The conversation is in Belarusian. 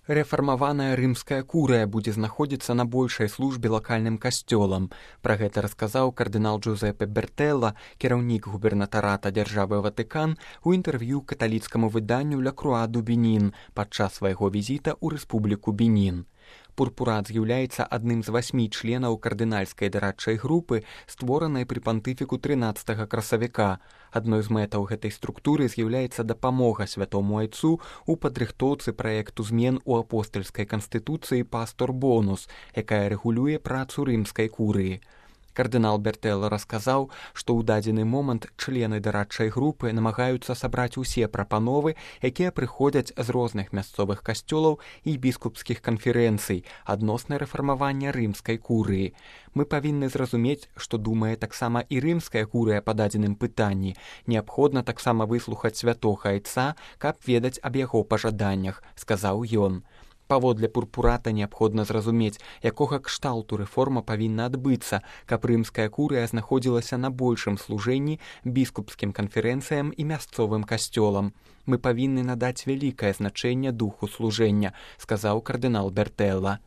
Рэфармаваная рымская курыя будзе знаходзіцца на большай службе лакальным касцёлам. Пра гэта расказаў кардынал Джузеппе Бертэлла, кіраўнік губернатарата дзяржавы Ватыкан, у інтэрв'ю каталіцкаму выданню «Ля Круа ду Бенін» падчас свайго візіта ў рэспубліку Бенін. Пурпурат з'яўляецца адным з 8 членаў кардынальскай дарадчай групы, створанай пры пантыфіку 13 красавіка. Адной з мэтаў гэтай структуры з'яўляецца дапамога святому айцу ў падрыхтоўцы праекту змен у апостальскай канстытуцыі «Пастор Бонус», якая рэгулюе працу рымскай курыі. Кардынал Бертэлла расказаў, што ў дадзены момант члены дарадчай групы намагаюцца сабраць усе прапановы, якія прыходзяць з розных мясцовых касцёлаў і біскупскіх канферэнцый адносна рэфармавання рымскай курыі. Мы павінны зразумець, што думае таксама і рымская курыя па дадзеным пытанні. Неабходна таксама выслухаць святога айца, каб ведаць аб яго пажаданнях, сказаў ён. Паводле пурпурата неабходна зразумець, якога кшталту рэформа павінна адбыцца, каб рымская курыя знаходзілася на большым служэнні біскупскім канферэнцыям і мясцовым касцёлам. Мы павінны надаць вялікае значэнне духу служэння, сказаў кардынал Бертэлла.